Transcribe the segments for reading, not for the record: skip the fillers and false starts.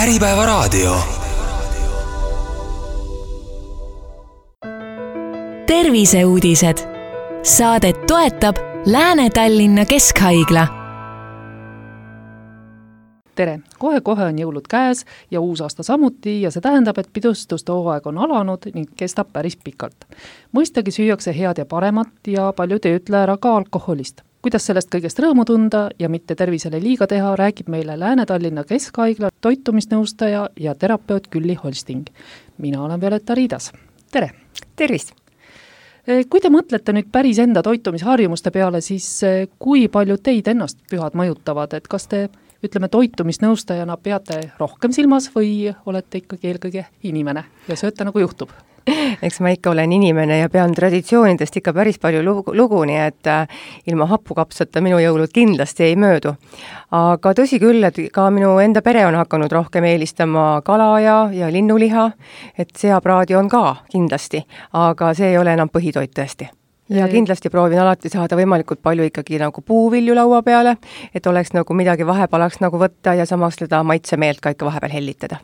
Äripäevaraadio. Terviseuudised. Saadet toetab Lääne-Tallinna Keskhaigla. Tere! Kohe on jõulud käes ja uus aasta samuti ja see tähendab, et pidustuste hooaeg on alanud ning kestab päris pikalt. Mõistagi süüakse head ja paremat ja paljud ei ütle ära ka alkoholist. Kuidas sellest kõigest rõõmu tunda ja mitte tervisele liiga teha, räägib meile Lääne-Tallinna Keskhaigla toitumisnõustaja ja terapeut Külli Holsting. Mina olen Violeta Riidas. Tere! Tervist! Kui te mõtlete nüüd päris enda toitumisharjumuste peale, siis kui palju teid ennast pühad mõjutavad, et kas te toitumisnõustajana peate rohkem silmas või olete ikkagi eelkõige inimene ja sööte nagu juhtub? Eks ma ikka olen inimene ja pean traditsioonidest ikka päris palju lugu, nii et ilma hapukapsata minu jõulud kindlasti ei möödu. Aga tõsi küll, et ka minu enda pere on hakanud rohkem eelistama kala ja linnuliha, et seapraadi on ka kindlasti, aga see ei ole enam põhitoit tõesti. Ja kindlasti proovin alati saada võimalikult palju ikkagi nagu puuvilju laua peale, et oleks nagu midagi vahepalaks nagu võtta ja samas seda maitsemeelt ka ikka vahepeal hellitada.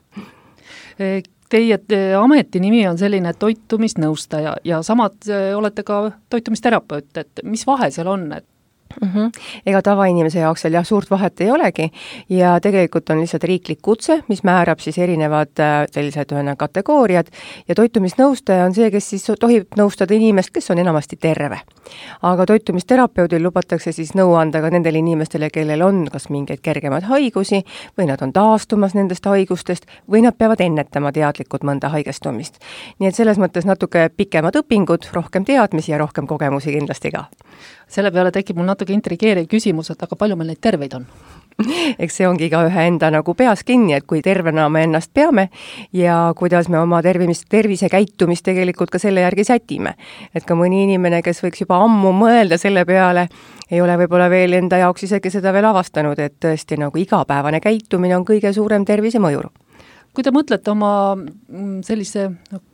Teie ametinimi on selline toitumisnõustaja ja samad olete ka toitumisterapeut, et mis vahe seal on? Ega tavainimese jaoks seal suurt vahet ei olegi ja tegelikult on lihtsalt riiklik kutse, mis määrab siis erinevad sellised kategooriad ja toitumisnõustaja on see, kes siis tohib nõustada inimest, kes on enamasti terve. Aga toitumisterapeudil lubatakse siis nõu anda ka nendele inimestele, kellel on kas mingeid kergemad haigusi või nad on taastumas nendest haigustest või nad peavad ennetama teadlikult mõnda haigestumist. Nii et selles mõttes natuke pikemad õpingud, rohkem teadmisi ja rohkem kogemusi kindlasti ka. Selle peale tekib mul natuke intrigeeriv küsimus, et aga palju meil neid terveid on? Eks see ongi ka ühe enda nagu peas kinni, et kui tervena me ennast peame ja kuidas me oma tervise käitumist tegelikult ka selle järgi sätime. Et ka mõni inimene, kes võiks juba ammu mõelda selle peale, ei ole võib-olla veel enda jaoks isegi seda veel avastanud, et tõesti nagu igapäevane käitumine on kõige suurem tervise mõjur. Kui te mõtlete oma sellise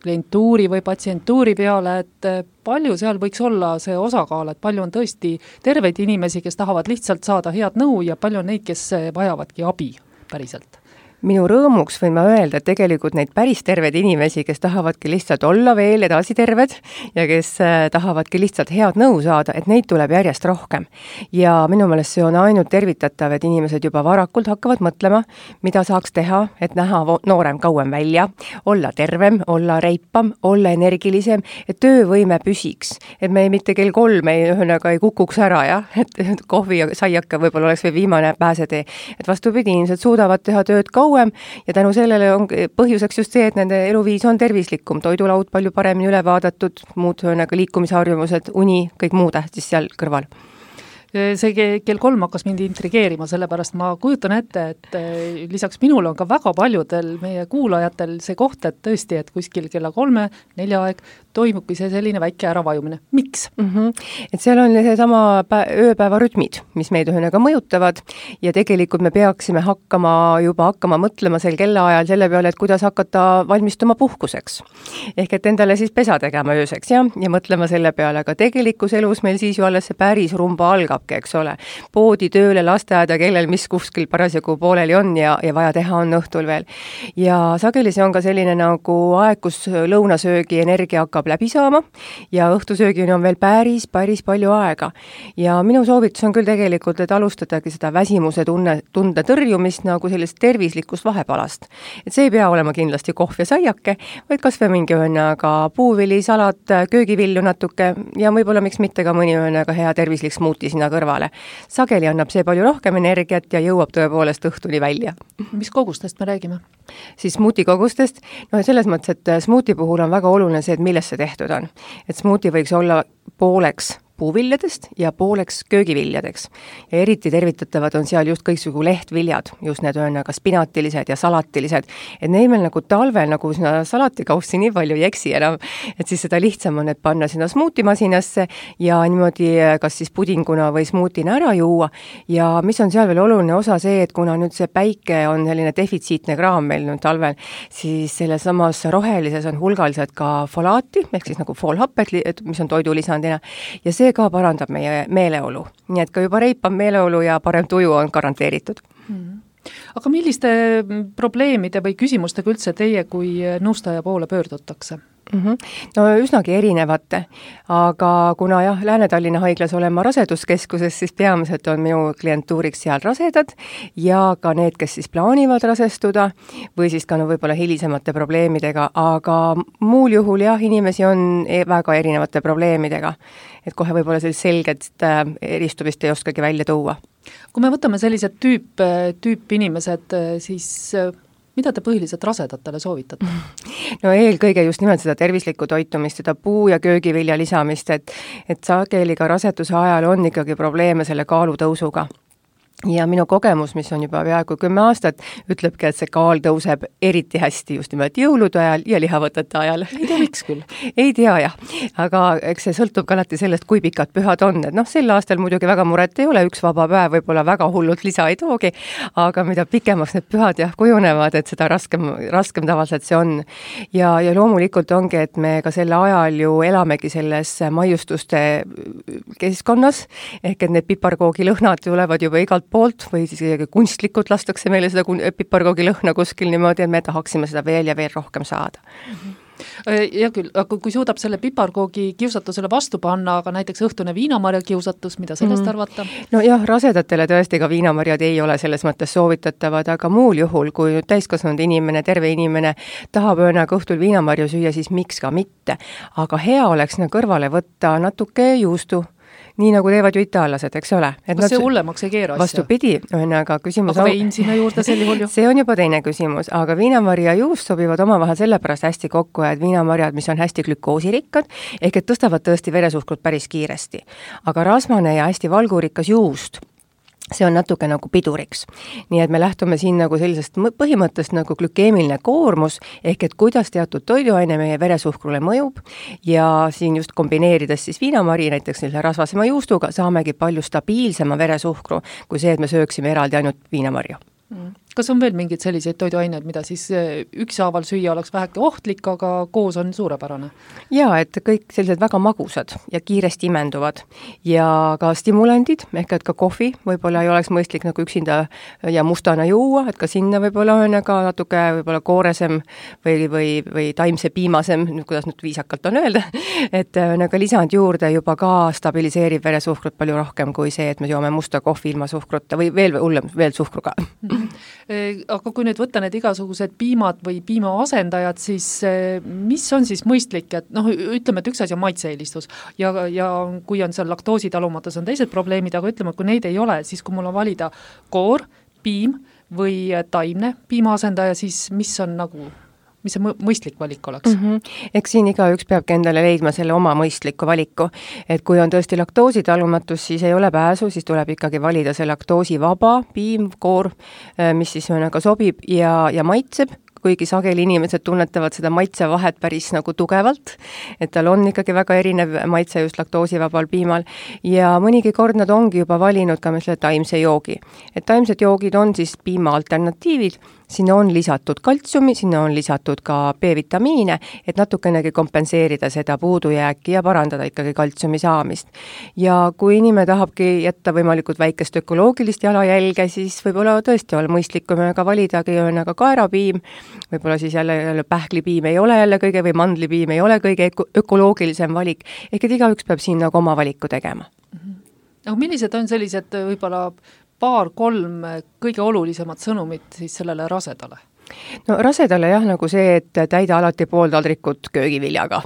klientuuri või patsientuuri peale, et palju seal võiks olla see osakaal, et palju on tõesti terveid inimesi, kes tahavad lihtsalt saada head nõu ja palju on neid, kes vajavadki abi päriselt? Minu rõõmuks võin ma öelda, et tegelikult neid päris terved inimesi, kes tahavadki lihtsalt olla veel edasi terved ja kes tahavadki lihtsalt head nõu saada, et neid tuleb järjest rohkem. Ja minu meelest see on ainult tervitatav, et inimesed juba varakult hakkavad mõtlema, mida saaks teha, et näha noorem kauem välja, olla tervem, olla reipam, olla energilisem, et töövõime püsiks. Et me mitte kell 3 ei kukuks ära, et kohvi ja saiaka võib-olla oleks või viimane pääsetee. Et vastupidi, inimesed suudavad teha tööd kauem ja tänu sellele on põhjuseks just see, et nende eluviis on tervislikum, toidulaud palju paremini üle vaadatud, muud liikumisharjumused, uni, kõik muu tähtis seal kõrval. See kell 3 hakkas mind intrigeerima, sellepärast ma kujutan ette, et lisaks minule on ka väga paljudel meie kuulajatel see koht, et tõesti, et kuskil kella 3-4 aeg toimubki see selline väike äravajumine. Miks? Et seal on see sama ööpäeva rütmid, mis meid ühega mõjutavad ja tegelikult me peaksime hakkama mõtlema sel kellaajal selle peale, et kuidas hakata valmistuma puhkuseks. Ehk et endale siis pesa tegema ööseks ja mõtlema selle peale, aga tegelikus elus meil siis ju alles see päris rumba algab, eks ole. Poodi, tööle, lasteaeda, kellel mis kuskil parasjagu pooleli on ja vaja teha on õhtul veel. Ja sageli see on ka selline nagu aeg, kus lõunasöögi energia hakkab läbi saama ja õhtusöögini on veel päris palju aega. Ja minu soovitus on küll tegelikult, et alustadagi seda väsimuse tunde tõrjumist nagu sellist tervislikust vahepalast. Et see ei pea olema kindlasti kohv ja saiake, vaid kas või mingi ka puuvili, salat, köögivilju natuke ja võib-olla miks mitte ka mõni ka hea tervislik smuuti sinna kõrvale. Sageli annab see palju rohkem energiat ja jõuab tõepoolest õhtuni välja. Mis kogustest me räägime? Siis smuuti kogustest, selles mõttes, et smuuti puhul on väga oluline see, et millest see tehtud on. Et smuuti võiks olla pooleks puuviljadest ja pooleks köögiviljadeks. Ja eriti tervitatavad on seal just kõiksugu lehtviljad, just need ka spinatilised ja salatilised. Et neil meil nagu talvel nagu sinna salatikaussi nii palju ei eksi enam, et siis seda lihtsam on, et panna sinna smuutimasinasse ja niimoodi kas siis pudinguna või smuutina ära juua. Ja mis on seal veel oluline osa see, et kuna nüüd see päike on selline defitsiitne kraam meil nüüd talvel, siis selles samas rohelises on hulgaliselt ka folaati, ehk siis nagu foolhapped, mis on toidulisandina. Ja see ka parandab meie meeleolu. Nii et ka juba reipam meeleolu ja parem tuju on garanteeritud. Aga milliste probleemide või küsimustega üldse teie kui nõustaja poole pöördutakse? No üsnagi erinevate, aga kuna jah, Lääne-Tallinna haiglas olen ma raseduskeskuses, siis peamiselt on minu klientuuriks seal rasedad ja ka need, kes siis plaanivad rasestuda või siis ka võib-olla hilisemate probleemidega, aga muul juhul jah, inimesi on väga erinevate probleemidega, et kohe võib-olla sellist selget eristumist ei oskagi välja tuua. Kui me võtame sellised tüüp inimesed, siis mida te põhiliselt rasedatele soovitate? No eelkõige just nimelt seda tervislikku toitumist, seda puu- ja köögivilja lisamist, et sageli ka raseduse ajal on ikkagi probleeme selle kaalutõusuga. Ja minu kogemus, mis on juba peaaegu 10 aastat, ütlebki, et see kaal tõuseb eriti hästi just nimelt jõulude ajal ja lihavõtete ajal. Ei tea, miks küll? Ei tea jah, aga eks see sõltub ka alati sellest, kui pikad pühad on, et sel aastal muidugi väga muret ei ole, üks vaba päev võib-olla väga hullult lisa ei toogi, aga mida pikemaks need pühad jah kujunevad, et seda raskem tavaliselt see on. Ja loomulikult ongi, et me ka selle ajal ju elamegi selles maiustuste keskkonnas, ehk et need piparkoogi lõhnad tulevad juba igalt poolt või siis kunstlikult lastakse meile seda piparkoogi lõhna kuskil niimoodi, et me tahaksime seda veel ja veel rohkem saada. Ja küll, aga kui suudab selle piparkoogi kiusatusele vastu panna, aga näiteks õhtune viinamarja kiusatus, mida sellest arvata? No jah, rasedatele tõesti ka viinamarjad ei ole selles mõttes soovitatavad, aga muul juhul, kui täiskasvanud inimene, terve inimene tahab öönaga õhtul viinamarju süüa, siis miks ka mitte. Aga hea oleks kõrvale võtta natuke juustu, nii nagu teevad ju itaallased, eks ole. Kas see hullemaks ei keera asja? Vastupidi, aga küsimus aga vein sinna juurde sel juhul ju? See on juba teine küsimus, aga viinamarja ja juust sobivad omavahel sellepärast hästi kokku, et viinamarjad, mis on hästi glükoosirikkad, ehk et tõstavad tõesti veresuhkrut päris kiiresti. Aga rasvane ja hästi valgurikas juust, see on natuke nagu piduriks. Nii et me lähtume siin nagu sellisest põhimõttest nagu glükeemiline koormus, ehk et kuidas teatud toiduaine meie veresuhkrule mõjub ja siin just kombineerides siis viinamari näiteks selle rasvasema juustuga saamegi palju stabiilsema veresuhkru kui see, et me sööksime eraldi ainult viinamarju. Kas on veel mingeid selliseid toiduaineid, mida siis ükshaaval süüa oleks väheke ohtlik, aga koos on suurepärane? Jaa, et kõik sellised väga magusad ja kiiresti imenduvad ja ka stimulandid, ehk et ka kohvi võib-olla ei oleks mõistlik nagu üksinda ja mustana juua, et ka sinna võib-olla on ka natuke võib-olla kooresem või taimse piimasem, kuidas nüüd viisakalt on öelda, et nagu lisand juurde juba ka stabiliseerib veresuhkrut palju rohkem kui see, et me joome musta kohvi ilma suhkruta või veel hullem, veel suhkruga. Aga kui nüüd võtta need igasugused piimad või piimaasendajad, siis mis on siis mõistlik, et ütleme, et üks asi on maitse-eelistus ja kui on seal laktoositalumatus on teised probleemid, aga ütleme, kui neid ei ole, siis kui mul on valida koor, piim või taimne piimaasendaja, siis mis see mõistlik valik oleks? Eks siin igaüks peabki endale leidma selle oma mõistliku valiku, et kui on tõesti laktoositalumatus, siis ei ole pääsu, siis tuleb ikkagi valida see laktoosivaba piim, koor, mis siis sobib ja maitseb, kuigi sageli inimesed tunnetavad seda maitsevahet päris nagu tugevalt, et tal on ikkagi väga erinev maitse just laktoosivabal piimal ja mõnigi kord nad ongi juba valinud ka selle taimse joogi. Et taimsed joogid on siis piima alternatiivid, sinna on lisatud kaltsiumi, sinna on lisatud ka B-vitamiine, et natukenegi kompenseerida seda puudujääki ja parandada ikkagi kaltsiumi saamist. Ja kui inimene tahabki jätta võimalikult väikest ökoloogilist jalajälge, siis võib-olla tõesti olla mõistlik, kui me ka validagi ka kaerapiim, võib-olla siis jälle pähklipiim ei ole jälle kõige või mandlipiim ei ole kõige ökoloogilisem valik, ehk et igaüks peab siin nagu oma valiku tegema. Aga millised on sellised võib-olla 2-3 kõige olulisemad sõnumid siis sellele rasedale? No rasedale jah, nagu see, et täida alati pool taldrikut köögiviljaga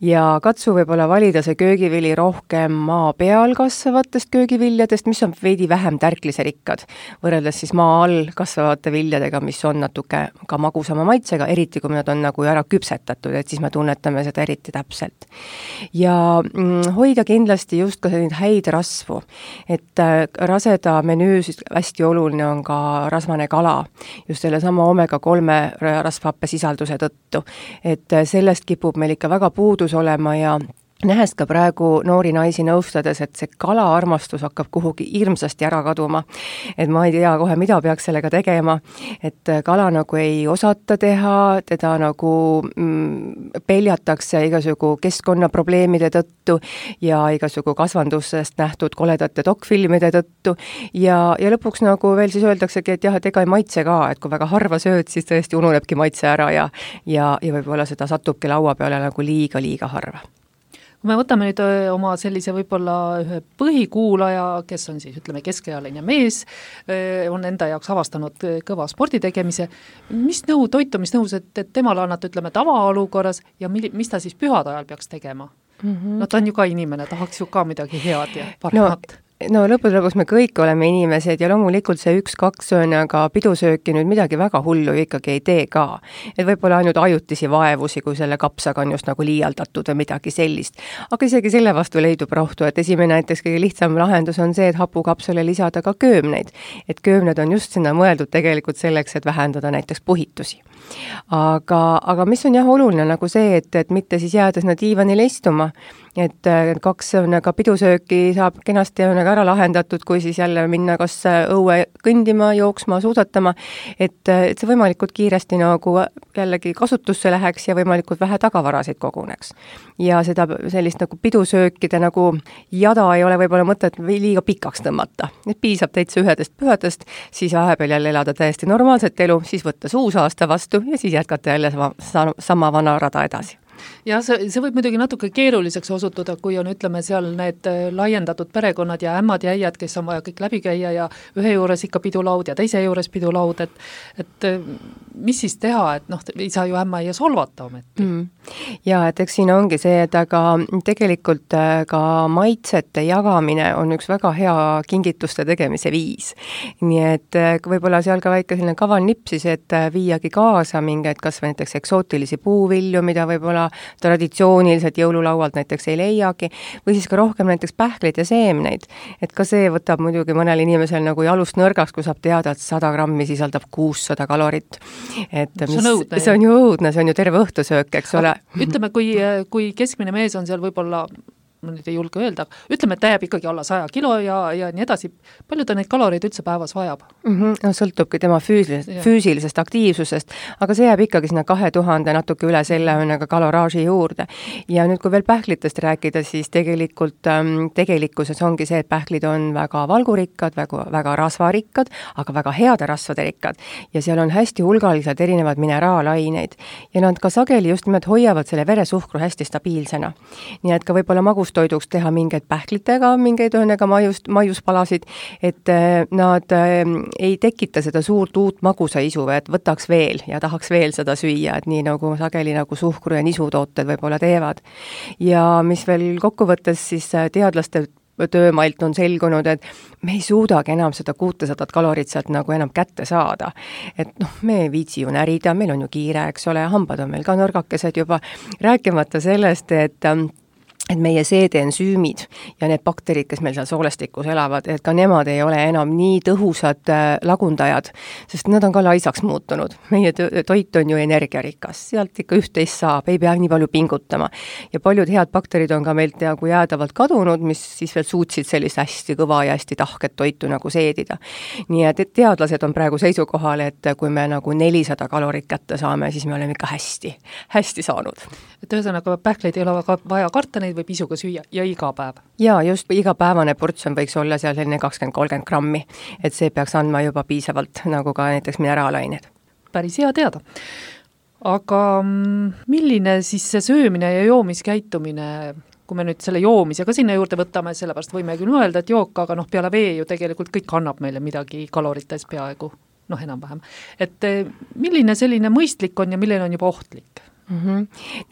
ja katsu võib-olla valida see köögivili rohkem maa peal kasvavatest köögiviljadest, mis on veidi vähem tärkliserikkad, võrreldes siis maa all kasvavate viljadega, mis on natuke ka magusama maitsega, eriti kui nad on nagu ära küpsetatud, et siis me tunnetame seda eriti täpselt. Ja hoida kindlasti just ka selline häid rasvu, et raseda menüüs hästi oluline on ka rasvane kala, just selle sama omega 3 rasvhappe sisalduse tõttu. Et sellest kipub meil ikka väga puudus olema ja nähes ka praegu noori naisi nõustades, et see kalaarmastus hakkab kuhugi hirmsasti ära kaduma. Et ma ei tea kohe, mida peaks sellega tegema, et kala nagu ei osata teha, teda nagu peljatakse igasugu keskkonnaprobleemide tõttu ja igasugu kasvandusest nähtud koledate dokfilmide tõttu ja lõpuks nagu veel siis öeldaksegi, et jah, et ega ei maitse ka, et kui väga harva sööd, siis tõesti ununebki maitse ära ja võib-olla seda satubki laua peale nagu liiga harva. Kui me võtame nüüd oma sellise võib-olla ühe põhikuulaja, kes on siis, ütleme, keskealine mees, on enda jaoks avastanud kõva spordi tegemise, mis toitumisnõus, et temale annate, ütleme, tavaolukorras ja mis ta siis pühade ajal peaks tegema? No ta on ju ka inimene, tahaks ju ka midagi head ja paremat. No lõpus me kõik oleme inimesed ja loomulikult see 1-2 söönaga pidusööki nüüd midagi väga hullu ikkagi ei tee ka. Et võib-olla ainult ajutisi vaevusi, kui selle kapsaga on just nagu liialdatud või midagi sellist. Aga isegi selle vastu leidub rohtu, et esimene näiteks kõige lihtsam lahendus on see, et hapukapsule lisada ka köömneid. Et köömned on just sinna mõeldud tegelikult selleks, et vähendada näiteks puhitusi. Aga mis on jah oluline nagu see, et mitte siis jääda sinna diivanile istuma, et 2 pidusööki saab kenasti ära lahendatud, kui siis jälle minna kas õue kõndima, jooksma, suusatama, et see võimalikult kiiresti nagu jällegi kasutusse läheks ja võimalikult vähe tagavarasid koguneks. Ja seda sellist nagu pidusöökide nagu jada ei ole võib-olla mõtet liiga pikaks tõmmata. Et piisab täitsa 1 pühadest, siis vahepeal jälle elada täiesti normaalset elu, siis võtta uus aasta vastu ja siis jätkata jälle sama vana rada edasi. Ja see võib muidugi natuke keeruliseks osutuda, kui on, ütleme, seal need laiendatud perekonnad ja ämmad ja äiad, kes on vaja kõik läbi käia ja ühe juures ikka pidulaud ja teise juures pidulaud, et mis siis teha, et ei saa ju ämma ja solvata ometi. Ja, et eks siin ongi see, et aga tegelikult ka maitsete jagamine on üks väga hea kingituste tegemise viis. Nii et võib-olla seal ka väike selline kaval nipsis, et viiagi kaasa mingeid kas või näiteks eksootilisi puuvilju, mida võib-olla traditsiooniliselt jõululaualt näiteks ei leiagi, või siis ka rohkem näiteks pähkleid ja seemneid. Et ka see võtab muidugi mõnel inimesel nagu jalust nõrgaks, kui saab teada, et 100 grammi sisaldab 600 kalorit. Et see on ju õudne, see on ju terve õhtusöök, eks ole. Ütleme, kui keskmine mees on seal võib-olla, ma nüüd ei julge öelda, ütleme, et ta jääb ikkagi alla 100 kilo ja nii edasi. Palju ta neid kaloreid üldse päevas vajab? No sõltubki tema füüsilisest aktiivsusest, aga see jääb ikkagi sinna 2000 natuke üle selle kaloraaži juurde. Ja nüüd, kui veel pähklitest rääkida, siis tegelikkuses ongi see, et pähklid on väga valgurikkad, väga rasvarikkad, aga väga heade rasvade rikkad. Ja seal on hästi hulgaliselt erinevad mineraalaineid. Ja nad ka sageli just nimelt hoiavad selle veresuhkru hästi stabiilsena. Nii et ka võib-olla toiduks teha mingeid pähklitega, mingeid maiuspalasid, et nad ei tekita seda suurt uut magusaisu, et võtaks veel ja tahaks veel seda süüa, et nii nagu sageli nagu suhkru ja nisutooted võib-olla teevad. Ja mis veel kokkuvõttes siis teadlaste töömailt on selgunud, et me ei suudagi enam seda 600 kalorit sealt nagu enam kätte saada. Et me ei viitsi ju närida, meil on ju kiire, eks ole, hambad on meil ka nõrgakesed juba, rääkimata sellest, et meie seedeensüümid ja need bakterid, kes meil seal soolestikus elavad, et ka nemad ei ole enam nii tõhusad lagundajad, sest nad on ka laisaks muutunud. Meie toit on ju energiarikas, sealt ikka üht-teist saab, ei pea nii palju pingutama. Ja paljud head bakterid on ka meilt nagu jäädavalt kadunud, mis siis veel suutsid sellist hästi kõva ja hästi tahket toitu nagu seedida. Nii et teadlased on praegu seisukohal, et kui me nagu 400 kalorit kätte saame, siis me oleme ikka hästi saanud. Et ühesõnaga pähkleid ei ole vaja karta, neid võib isuga süüa ja iga päev. Ja just igapäevane portsjon võiks olla seal selline 20-30 grammi, et see peaks andma juba piisavalt nagu ka näiteks mineraalained. Päris hea teada. Aga milline siis see söömine ja joomiskäitumine, kui me nüüd selle joomisega sinna juurde võtame, sellepärast võime küll mõelda, et jook, aga vee vee ju tegelikult kõik annab meile midagi kalorites peaaegu, enam-vähem. Et milline selline mõistlik on ja milline on juba ohtlik?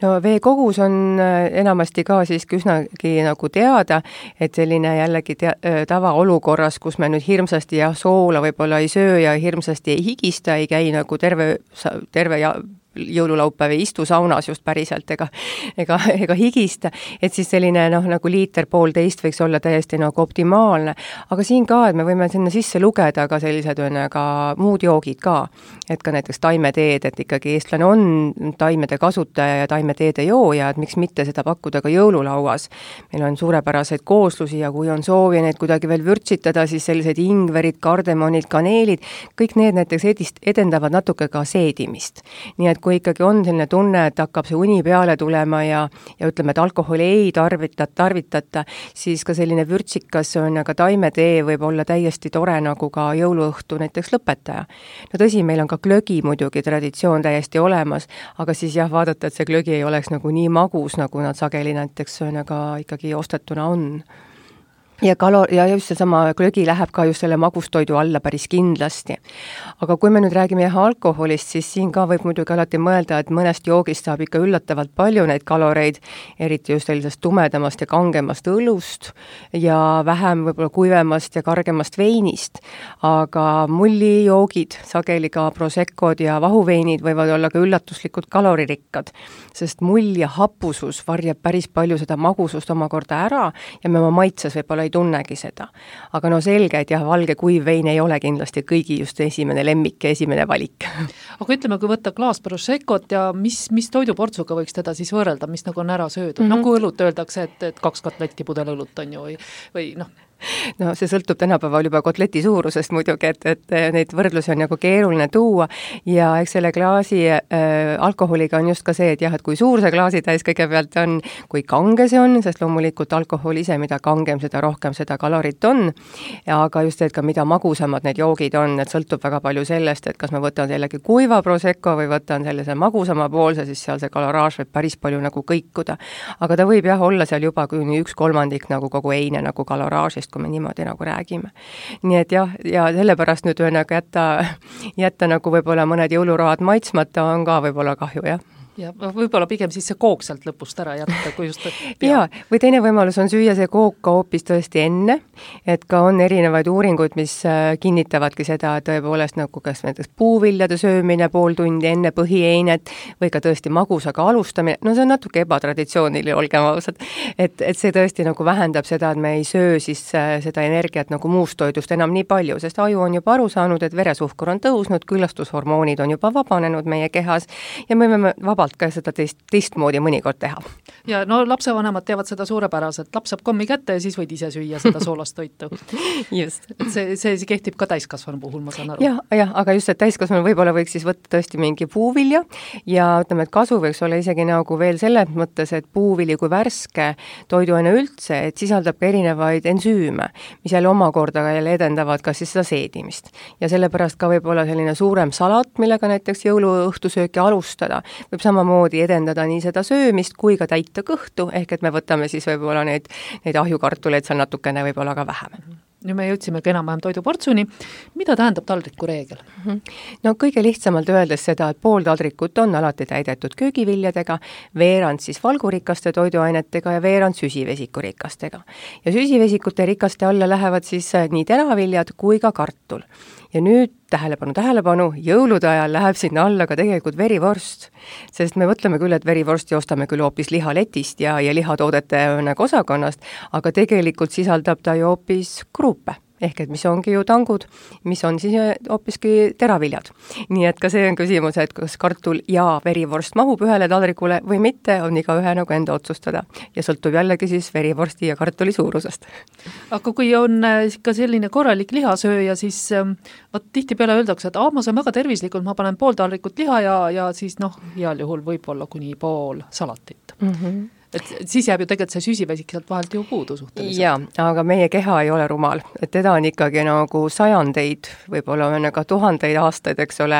No vee kogus on enamasti ka siiski üsnagi nagu teada, et selline jällegi tavaolukorras, kus me nüüd hirmsasti ja soola võib-olla ei söö ja hirmsasti ei higista, ei käi nagu terve jõululaupäev ei istu saunas just päriselt ega higista, et siis selline nagu liiter 1,5 võiks olla täiesti nagu optimaalne. Aga siin ka, et me võime sinna sisse lugeda ka sellised ka muud joogid ka, et ka näiteks taimeteed, et ikkagi eestlane on taimede kasutaja ja taimeteede jooja, et miks mitte seda pakkuda ka jõululauas. Meil on suurepäraseid kooslusi ja kui on soovi neid kuidagi veel vürtsitada, siis sellised ingverid, kardemonid, kaneelid, kõik need näiteks edendavad natuke ka seedimist. Nii et kui ikkagi on selline tunne, et hakkab see uni peale tulema ja ütleme, et alkoholi ei tarvitata, siis ka selline vürtsikas ka taimetee võib olla täiesti tore nagu ka jõuluõhtu näiteks lõpetaja. No tõsi, meil on ka glögi muidugi traditsioon täiesti olemas, aga siis jah, vaadata, et see glögi ei oleks nagu nii magus, nagu nad sageli näiteks ikkagi ostetuna on. Ja just seesama glögi läheb ka just selle magustoidu alla päris kindlasti. Aga kui me nüüd räägime alkoholist, siis siin ka võib muidugi alati mõelda, et mõnest joogist saab ikka üllatavalt palju neid kaloreid, eriti just sellisest tumedamast ja kangemast õlust ja vähem võib-olla kuivemast ja kargemast veinist. Aga mullijoogid, sageli ka proseccod ja vahuveinid võivad olla ka üllatuslikud kaloririkkad, sest mull ja hapusus varjab päris palju seda magusust omakorda ära ja me oma maitses võib-olla ei tunnegi seda. Aga selge, et jah, valge kuiv vein ei ole kindlasti kõigi just esimene lemmik ja esimene valik. Aga ütleme, kui võtta klaas proseccot ja mis toiduportsuga võiks teda siis võrrelda, mis nagu on ära söödud? Nagu õlut öeldakse, et 2 kotletti pudel õlut on ju või No see sõltub tänapäeval juba kotleti suurusest muidugi, et neid võrdlusi on nagu keeruline tuua ja eks selle klaasi alkoholiga on just ka see, et jah, et kui suur see klaasitäis kõigepealt on, kui kange see on, sest loomulikult alkohol ise, mida kangem, seda rohkem seda kalorit on, aga just, et ka mida magusamad need joogid on, et sõltub väga palju sellest, et kas ma võtan jällegi kuiva prosecco või võtan sellise magusama poolse, siis seal see kaloraaž võib päris palju nagu kõikuda. Aga ta võib jah olla seal juba kuni 1/3 nagu kogu eine nagu kaloraažist, kui me niimoodi nagu räägime. Nii et jah, ja sellepärast nüüd jätta nagu võib-olla mõned jõuluroad maitsmata on ka võib-olla kahju, jah. Ja võib-olla pigem siis see kook sealt lõpust ära jätta, kui just Jaa, või teine võimalus on süüa see kook ka hoopis tõesti enne, et ka on erinevaid uuringuid, mis kinnitavadki seda, et tõepoolest nagu kas näiteks puuviljade söömine pool tundi enne põhieinet või ka tõesti magusaga alustamine, no see on natuke ebatraditsiooniline, olgem ausad, et see tõesti nagu vähendab seda, et me ei söö siis seda energiat nagu muust toidust enam nii palju, sest aju on juba aru saanud, et veresuhkur on tõusnud, küllastushormoonid on juba vabanenud meie kehas ja me võime vabalt ka seda teistmoodi mõnikord teha. Ja lapsevanemad teavad seda suurepäraselt, laps saab kommi kätte ja siis võid ise süüa seda soolast toitu. Just. Et see kehtib ka täiskasvanu puhul, ma saan aru. Jah, aga just, et täiskasvanu võib-olla võiks siis võtta tõesti mingi puuvilja ja ütleme, et kasu võiks olla isegi nagu veel selles mõttes, et puuvili kui värske toiduaine üldse, et sisaldab ka erinevaid ensüüme, mis jälle omakorda jälle edendavad ka siis seda seedimist. Ja sellepärast ka võib-olla selline suurem salat, millega näiteks jõuluõhtusööki alustada, võib samamoodi edendada nii seda söömist kui ka täita kõhtu, ehk et me võtame siis võib-olla neid ahjukartuleid seal natukene võib-olla ka vähem. Nüüd me jõudsimegi enam-vähem toiduportsuni. Mida tähendab taldriku reegel? No kõige lihtsamalt öeldes seda, et pool taldrikut on alati täidetud köögiviljadega, veerand siis valgurikaste toiduainetega ja veerand süsivesikurikastega. Ja süsivesikute rikaste alla lähevad siis nii teraviljad kui ka kartul. Ja nüüd tähelepanu, jõulude ajal läheb sinna alla ka tegelikult verivorst, sest me mõtleme küll, et verivorsti ostame küll hoopis lihaletist ja lihatoodete osakonnast, aga tegelikult sisaldab ta ju hoopis kruupe. Ehk et mis ongi ju tangud, mis on siis hoopiski teraviljad. Nii et ka see on küsimus, et kas kartul ja verivorst mahub ühele taldrikule või mitte, on igaühe nagu enda otsustada. Ja sõltub jällegi siis verivorsti ja kartuli suurusest. Aga kui on ka selline korralik lihasööja, siis tihti peale öeldakse, et ma saan väga tervislikult, ma panen pool taldrikut liha ja siis heal juhul võib-olla kuni pool salatit. Et siis jääb ju tegelikult see süsivesik sealt vahelt ju puudu suhteliselt. Jaa, aga meie keha ei ole rumal, et teda on ikkagi nagu sajandeid, võib-olla on ka tuhandeid aastaid, eks ole,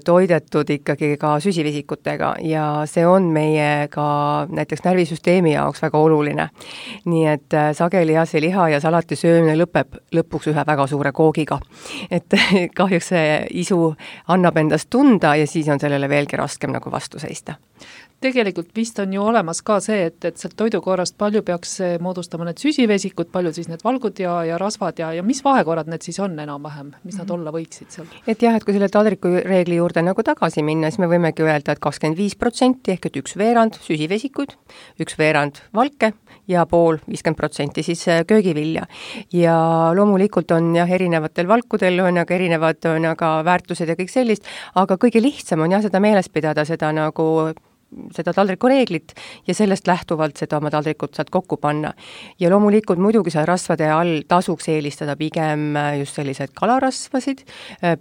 toidetud ikkagi ka süsivesikutega ja see on meie ka näiteks närvisüsteemi jaoks väga oluline. Nii et sageli see liha ja salati söömine lõpeb lõpuks ühe väga suure koogiga. Et kahjuks see isu annab endast tunda ja siis on sellele veelgi raskem nagu vastu seista. Tegelikult vist on ju olemas ka see, et sealt toidukorrast palju peaks moodustama need süsivesikud, palju siis need valgud ja rasvad ja mis vahekorrad need siis on enam-vähem, mis nad olla võiksid seal? Et jah, et kui selle taldriku reegli juurde nagu tagasi minna, siis me võimegi öelda, et 25% ehk et 1/2 süsivesikud, 1/2 valke ja pool 50% siis köögivilja. Ja loomulikult on jah, erinevatel valkudel on aga erinevad on aga väärtused ja kõik sellist, aga kõige lihtsam on jah seda meeles pidada, seda taldriku reeglit ja sellest lähtuvalt seda oma taldrikut saad kokku panna. Ja loomulikult muidugi seal rasvade all tasuks eelistada pigem just sellised kalarasvasid,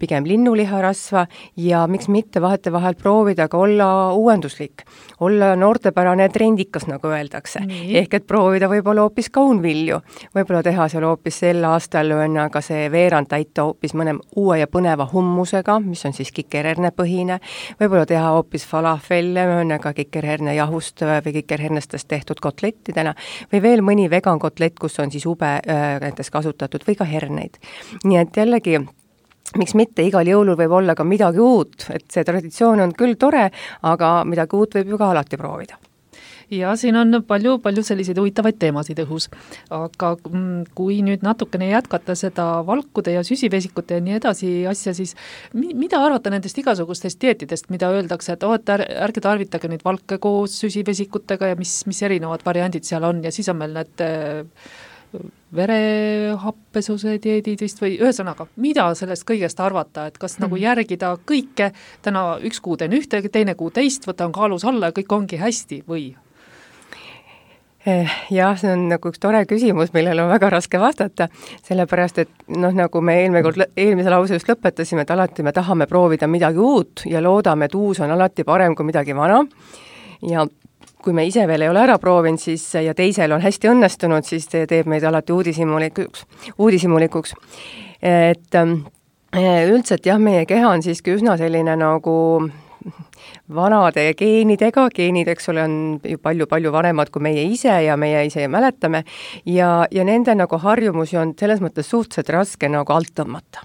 pigem linnuliharasva ja miks mitte vahetevahel proovida ka olla uuenduslik, olla noortepärane trendikas, nagu öeldakse. Ehk et proovida võib-olla hoopis kaunvilju, võib-olla teha seal hoopis sel aastal aga see veerand täita hoopis mõne uue ja põneva hummusega, mis on siis kikerhernepõhine, võib-olla teha hoopis falafelle, ka kikerherne jahust või kikerhernestest tehtud kotlettidena või veel mõni vegan kotlett, kus on siis ube näiteks kasutatud või ka herneid. Nii et jällegi, miks mitte, igal jõulul võib olla ka midagi uut, et see traditsioon on küll tore, aga midagi uut võib ju ka alati proovida. Ja siin on palju selliseid huvitavaid teemasid õhus, aga kui nüüd natukene jätkata seda valkude ja süsivesikute ja nii edasi asja, siis mida arvata nendest igasugustest dieetidest, mida öeldakse, et ärge tarvitage neid valke koos süsivesikutega ja mis erinevad variandid seal on ja siis on meil need verehappesuse dieedid vist või ühesõnaga, mida sellest kõigest arvata, et kas nagu järgida kõike, täna üks kuu teen ühte, teine kuu teist, võtan kaalus alla ja kõik ongi hästi või? Jah, see on nagu üks tore küsimus, millele on väga raske vastata, sellepärast, et nagu me eelmise lause just lõpetasime, et alati me tahame proovida midagi uut ja loodame, et uus on alati parem kui midagi vana ja kui me ise veel ei ole ära proovinud, siis ja teisel on hästi õnnestunud, siis see teeb meid alati uudishimulikuks. Et üldiselt jah, meie keha on siiski üsna selline nagu vanade geenidega, geenid, eks ole, on ju palju vanemad kui meie ise ja meie ise mäletame ja nende nagu harjumusi on selles mõttes suhteliselt raske nagu alt tõmmata.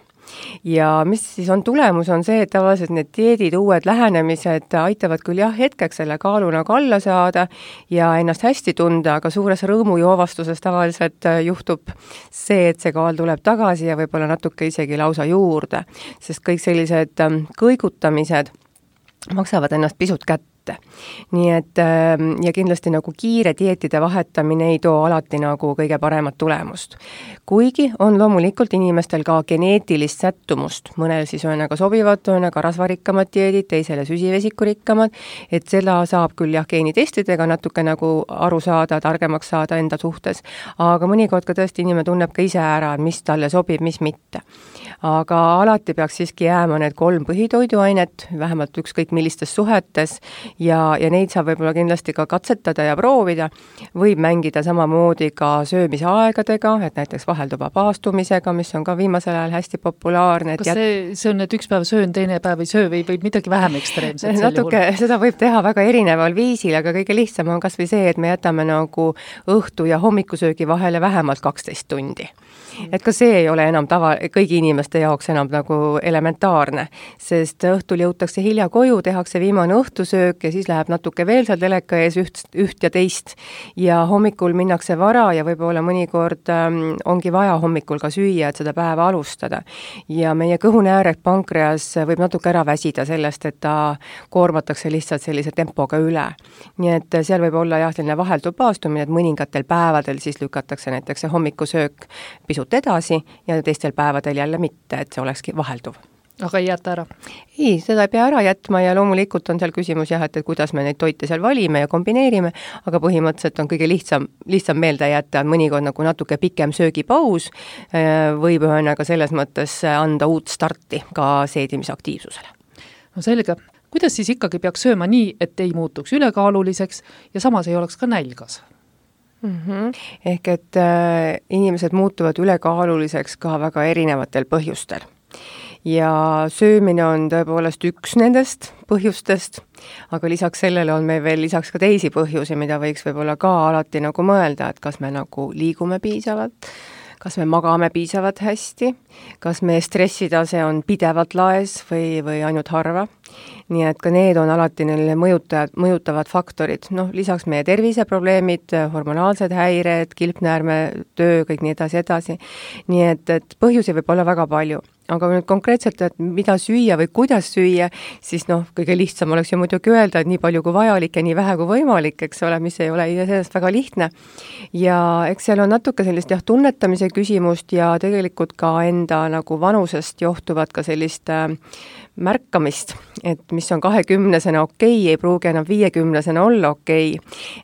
Ja mis siis on tulemus, on see, et tavaliselt need dieedid, uued lähenemised aitavad küll jah, hetkeks selle kaalu nagu alla saada ja ennast hästi tunda, aga suures rõõmujoovastuses tavaliselt juhtub see, et see kaal tuleb tagasi ja võib-olla natuke isegi lausa juurde, sest kõik sellised kõigutamised maksavad ennast pisut kätte. Nii et ja kindlasti nagu kiire dieetide vahetamine ei too alati nagu kõige paremat tulemust. Kuigi on loomulikult inimestel ka geneetilist sättumust, mõnel siis on aga sobivad, on aga rasvarikkamad dieedid, teisele süsivesikurikkamad, et seda saab küll jah geenitestidega natuke nagu aru saada, targemaks saada enda suhtes, aga mõnikord ka tõesti inimene tunneb ka ise ära, mis talle sobib, mis mitte. Aga alati peaks siiski jääma need 3 põhitoiduainet, vähemalt ükskõik millistes suhetes, ja neid saab võib-olla kindlasti ka katsetada ja proovida, võib mängida samamoodi ka söömise aegadega, et näiteks vahelduva paastumisega, mis on ka viimasel ajal hästi populaarne. Kas see on, et üks päev söön, teine päev ei söö või midagi vähem ekstreemset? Natuke, seda võib teha väga erineval viisil, aga kõige lihtsam on kas või see, et me jätame nagu õhtu ja hommikusöögi vahele vähemalt 12 tundi. Et ka see ei ole enam kõigi inimeste jaoks enam nagu elementaarne, sest õhtul jõutakse hilja koju, tehakse viimane õhtusöök ja siis läheb natuke veel seal teleka ees üht ja teist ja hommikul minnakse vara ja võib-olla mõnikord ongi vaja hommikul ka süüa, et seda päeva alustada. Ja meie kõhuneärek pankreas võib natuke ära väsida sellest, et ta koormatakse lihtsalt sellise tempoga üle. Nii et seal võib olla jah, selline vahelduv paastumine, et mõningatel päevadel siis lükatakse näiteks see hommikusöök pisut edasi ja teistel päevadel jälle mitte, et see olekski vahelduv. Aga ei jäta ära? Ei, seda ei pea ära jätma ja loomulikult on seal küsimus jah, et kuidas me neid toite seal valime ja kombineerime, aga põhimõtteliselt on kõige lihtsam meelde jätta, mõnikord nagu natuke pikem söögipaus võib ühendaga selles mõttes anda uut starti ka seedimisaktiivsusele. No selge. Kuidas siis ikkagi peaks sööma nii, et ei muutuks ülekaaluliseks ja samas ei oleks ka nälgas? Ehk et inimesed muutuvad ülekaaluliseks ka väga erinevatel põhjustel. Ja söömine on tõepoolest üks nendest põhjustest, aga lisaks sellele on meil veel lisaks ka teisi põhjusi, mida võiks võib-olla ka alati nagu mõelda, et kas me nagu liigume piisavalt, kas me magame piisavalt hästi, kas meie stressitase on pidevalt laes või ainult harva. nii et ka need on alati neile mõjutavad faktorid, noh, lisaks meie terviseprobleemid, hormonaalsed häired, kilpnäärme töö, kõik nii edasi. Nii et põhjusi võib olla väga palju. Aga nüüd konkreetselt, et mida süüa või kuidas süüa, siis noh, kõige lihtsam oleks ju muidugi öelda, et nii palju kui vajalik ja nii vähe kui võimalik, eks ole, mis ei ole sellest väga lihtne. Ja eks seal on natuke sellist tunnetamise küsimust ja tegelikult ka enda nagu vanusest johtuvat ka sellist märkamist, et mis on 20-sena okei, ei pruugi enam 50-sena olla okei.